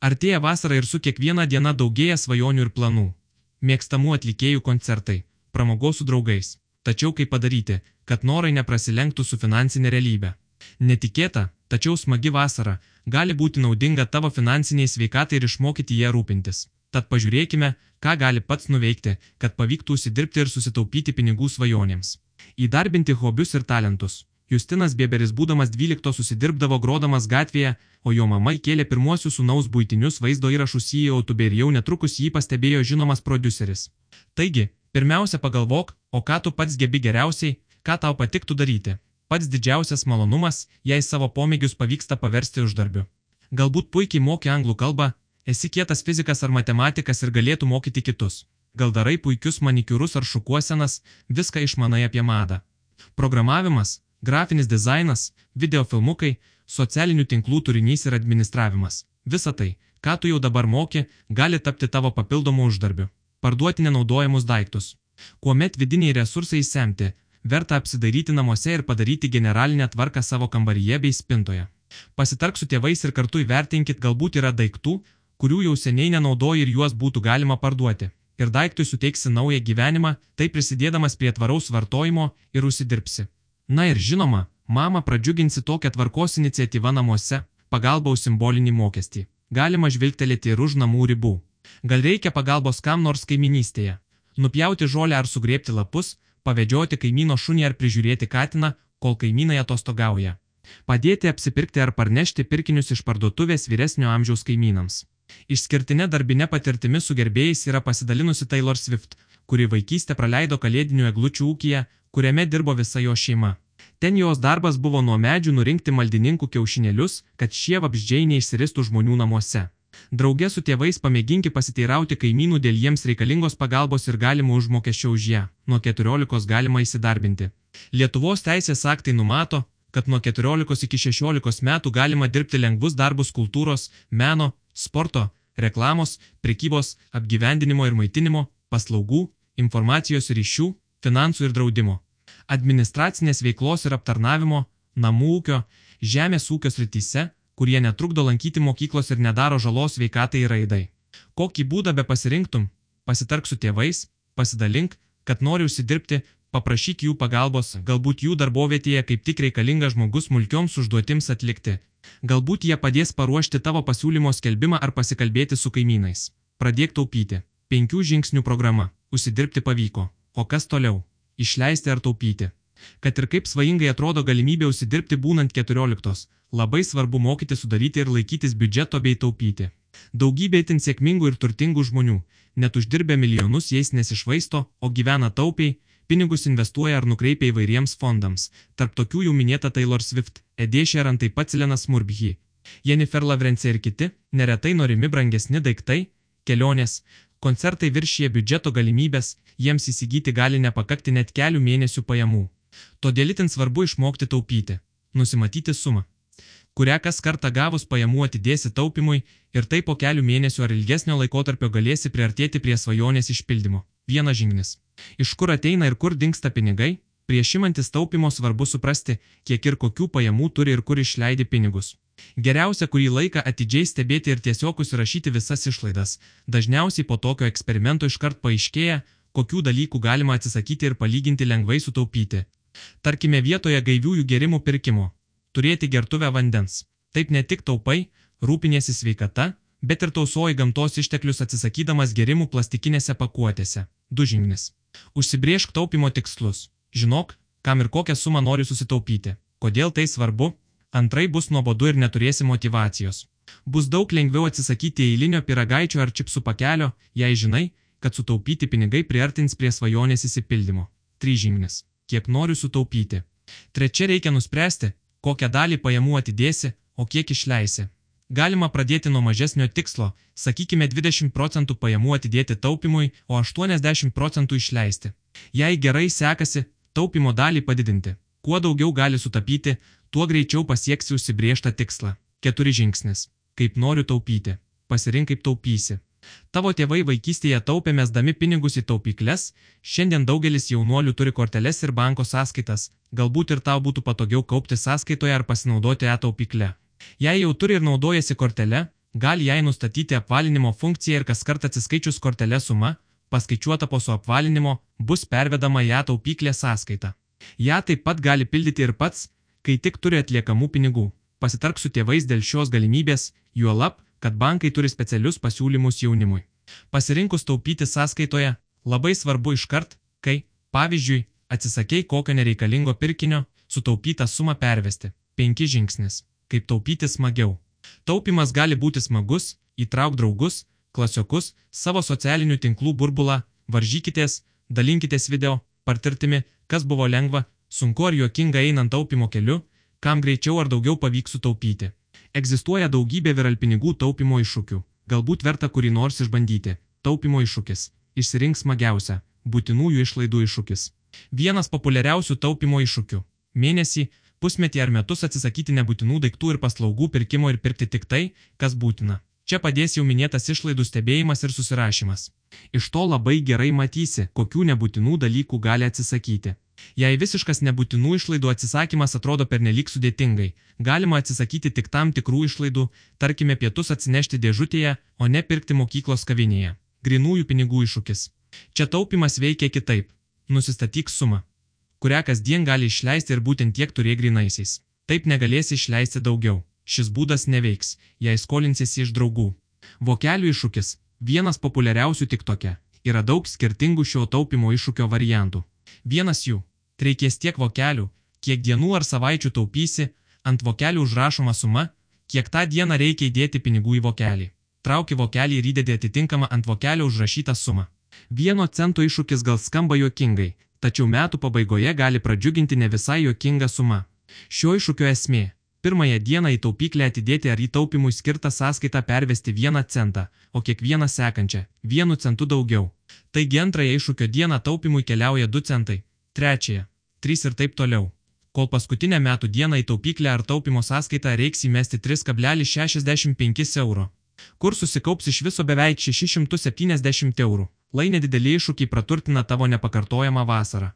Artėja vasara ir su kiekviena diena daugėja svajonių ir planų. Mėgstamų atlikėjų koncertai, pramogos su draugais. Tačiau kaip padaryti, kad norai neprasilenktų su finansinė realybė? Netikėta, tačiau smagi vasara gali būti naudinga tavo finansiniai sveikatai ir išmokyti ją rūpintis. Tad pažiūrėkime, ką gali pats nuveikti, kad pavyktų užsidirbti ir susitaupyti pinigų svajonėms. Įdarbinti hobius ir talentus. Justinas Bieberis būdamas 12 susidirbdavo grodamas gatvėje, o jo mama įkėlė pirmuosius sūnaus buitinius vaizdo įrašus į YouTube ir jau netrukus jį pastebėjo žinomas prodiuseris. Taigi, pirmiausia pagalvok, o ką tu pats gebi geriausiai, ką tau patiktų daryti. Pats didžiausias malonumas, jei savo pomėgius pavyksta paversti uždarbiu. Galbūt puikiai moki anglų kalbą, esi kietas fizikas ar matematikas ir galėtų mokyti kitus. Gal darai puikius manikiūrus ar šukuosenas, viską išmanai apie madą. Programavimas, grafinis dizainas, videofilmukai, socialinių tinklų turinys ir administravimas. Visa tai, ką tu jau dabar moki, gali tapti tavo papildomu uždarbiu. Parduoti nenaudojamus daiktus. Kuomet vidiniai resursai įsemti, verta apsidairyti namuose ir padaryti generalinę tvarką savo kambaryje bei spintoje. Pasitark su tėvais ir kartu įvertinkit, galbūt yra daiktų, kurių jau seniai nenaudoji ir juos būtų galima parduoti. Ir daiktui suteiksi naują gyvenimą, tai prisidėdamas prie tvaraus vartojimo ir užsidirbsi. Na ir žinoma, mamą pradžiuginsi tokią tvarkos iniciatyvą namuose, pagalba už simbolinį mokestį. Galima žvilgtelėti ir už namų ribų. Gal reikia pagalbos kam nors kaiminystėje. Nupjauti žolę ar sugrėbti lapus, pavedžioti kaimyno šunį ar prižiūrėti katiną, kol kaimynai atostogauja. Padėti apsipirkti ar parnešti pirkinius iš parduotuvės vyresnio amžiaus kaimynams. Išskirtinė darbinė patirtimi su gerbėjais yra pasidalinusi Taylor Swift, kuri vaikystę praleido kalėdinių eglučių ūkyje, kuriame dirbo visa jo šeima. Ten jos darbas buvo nuo medžių nurinkti maldininkų kiaušinėlius, kad šie vabzdžiai neišsiristų žmonių namuose. Drauge su tėvais pamėginki pasiteirauti kaimynų dėl jiems reikalingos pagalbos ir galimo užmokesčio už ją. Nuo 14 galima įsidarbinti. Lietuvos teisės aktai numato, kad nuo 14 iki 16 metų galima dirbti lengvus darbus kultūros, meno, sporto, reklamos, prekybos, apgyvendinimo ir maitinimo, paslaugų, informacijos ryšių, finansų ir draudimo, administracinės veiklos ir aptarnavimo, namų ūkio, žemės ūkio srityse, kurie netrukdo lankyti mokyklos ir nedaro žalos sveikatai ir raidai. Kokį būdą be pasirinktum, pasitark su tėvais, pasidalink, kad nori užsidirbti, paprašyk jų pagalbos, galbūt jų darbovietėje kaip tik reikalingas žmogus smulkioms užduotims atlikti. Galbūt jie padės paruošti tavo pasiūlymo skelbimą ar pasikalbėti su kaimynais. Pradėk taupyti. 5 žingsnių programa. Užsidirbti pavyko. O kas toliau? Išleisti ar taupyti? Kad ir kaip svajingai atrodo galimybė užsidirbti būnant 14, labai svarbu mokyti sudaryti ir laikytis biudžeto bei taupyti. Daugybė itin sėkmingų ir turtingų žmonių, net uždirbę milijonus jais nesišvaisto, o gyvena taupiai, pinigus investuoja ar nukreipia įvairiems fondams. Tarp tokių jau minėta Taylor Swift, Ed Sheeran, taip pat Silenas Murphy, Jennifer Lawrence ir kiti, neretai norimi brangesni daiktai, kelionės, koncertai viršija biudžeto galimybės, jiems įsigyti gali nepakakti net kelių mėnesių pajamų. Todėl itin svarbu išmokti taupyti, nusimatyti sumą, kurią kas kartą gavus pajamų atidėsi taupimui ir tai po kelių mėnesių ar ilgesnio laikotarpio galėsi priartėti prie svajonės išpildymo. Vienas žingsnis. Iš kur ateina ir kur dingsta pinigai? Prieš imantis taupimo svarbu suprasti, kiek ir kokių pajamų turi ir kur išleidi pinigus. Geriausia kurį laiką atidžiai stebėti ir tiesiog užsirašyti visas išlaidas. Dažniausiai po tokio eksperimento iškart paaiškėja, kokių dalykų galima atsisakyti ir palyginti lengvai sutaupyti. Tarkime vietoje gaiviųjų gėrimų pirkimo. Turėti gertuvę vandens. Taip ne tik taupai, rūpiniesi sveikata, bet ir tausoji gamtos išteklius atsisakydamas gėrimų plastikinėse pakuotėse. 2 žingsnis. Užsibrėžk taupimo tikslus. Žinok, kam ir kokią sumą nori susitaupyti. Kodėl tai svarbu? Antrai bus nuobodu ir neturėsi motyvacijos. Bus daug lengviau atsisakyti eilinio pyragaičio ar čipsų pakelio, jei žinai, kad sutaupyti pinigai priartins prie svajonės išsipildymo. 3 žingsnis. Kiek noriu sutaupyti. Trečia, reikia nuspręsti, kokią dalį pajamų atidėsi, o kiek išleisi. Galima pradėti nuo mažesnio tikslo, sakykime 20% pajamų atidėti taupimui, o 80% išleisti. Jei gerai sekasi, taupimo dalį padidinti. Kuo daugiau gali sutaupyti, tuo greičiau pasieksi užsibrėžtą tikslą. 4 žingsnis. Kaip noriu taupyti. Pasirink kaip taupysi. Tavo tėvai vaikystėje taupė mesdami pinigus į taupykles, šiandien daugelis jaunuolių turi korteles ir banko sąskaitas, galbūt ir tau būtų patogiau kaupti sąskaitoje ar pasinaudoti e-taupykle. Jei jau turi ir naudojasi kortele, gali jai nustatyti apvalinimo funkciją ir kaskart atsiskaičius kortelę suma, paskaičiuota po suapvalinimo, bus pervedama į ją taupyklę sąskaitą. Ja taip pat gali pildyti ir pats, kai tik turi atliekamų pinigų. Pasitark su tėvais dėl šios galimybės, juolab, kad bankai turi specialius pasiūlymus jaunimui. Pasirinkus taupyti sąskaitoje, labai svarbu iškart, kai, pavyzdžiui, atsisakei kokio nereikalingo pirkinio, sutaupytą sumą pervesti. 5 žingsnis. Kaip taupyti smagiau. Taupimas gali būti smagus, įtrauk draugus, klasiokus, savo socialinių tinklų burbulą, varžykitės, dalinkitės video, patirtimi, kas buvo lengva, sunku ar juokinga einant taupimo keliu, kam greičiau ar daugiau pavyks sutaupyti. Egzistuoja daugybė viralpinigų taupimo iššūkių. Galbūt verta kurį nors išbandyti. Taupimo iššūkis. Išsirink smagiausią. Būtinųjų išlaidų iššūkis. Vienas populiariausių taupimo iššūkių. Mėnesį, pusmetį ar metus atsisakyti nebūtinų daiktų ir paslaugų pirkimo ir pirkti tik tai, kas būtina. Čia padės jau minėtas išlaidų stebėjimas ir susirašymas. Iš to labai gerai matysi, kokių nebūtinų dalykų gali atsisakyti. Jei visiškas nebūtinų išlaidų atsisakymas atrodo pernelyg sudėtingai, galima atsisakyti tik tam tikrų išlaidų, tarkime pietus atsinešti dėžutėje, o ne pirkti mokyklos kavinėje. Grynųjų pinigų iššūkis. Čia taupimas veikia kitaip. Nusistatyk sumą, kurią kasdien gali išleisti ir būtent tiek turėk grynaisiais. Taip negalėsi išleisti daugiau. Šis būdas neveiks, jei skolinsiesi iš draugų. Vokelių iššūkis. Vienas populiariausių TikTok'e. Yra daug skirtingų šio taupimo iššūkio variantų. Vienas jų. Reikės tiek vokelių, kiek dienų ar savaičių taupysi, ant vokelių užrašoma suma, kiek tą dieną reikia įdėti pinigų į vokelį. Trauki vokelį ir įdedi atitinkamą ant vokelio užrašytą sumą. 1 cento iššūkis gal skamba juokingai, tačiau metų pabaigoje gali pradžiuginti ne visai juokinga suma. Šio iššūkio esmė. Pirmąją dieną į taupyklę atidėti ar į taupimui skirtą sąskaitą pervesti 1 centą, o kiekvieną sekančią 1 centu daugiau. Taigi antrąją iššūkio dieną taupimui keliauja 2 centai, trečiąją 3 ir taip toliau. Kol paskutinę metų dieną į taupyklę ar taupimo sąskaitą reiks įmesti 3,65 euro. Kur susikaups iš viso beveik 670 eurų. Lai nedideli iššūkiai praturtina tavo nepakartojamą vasarą.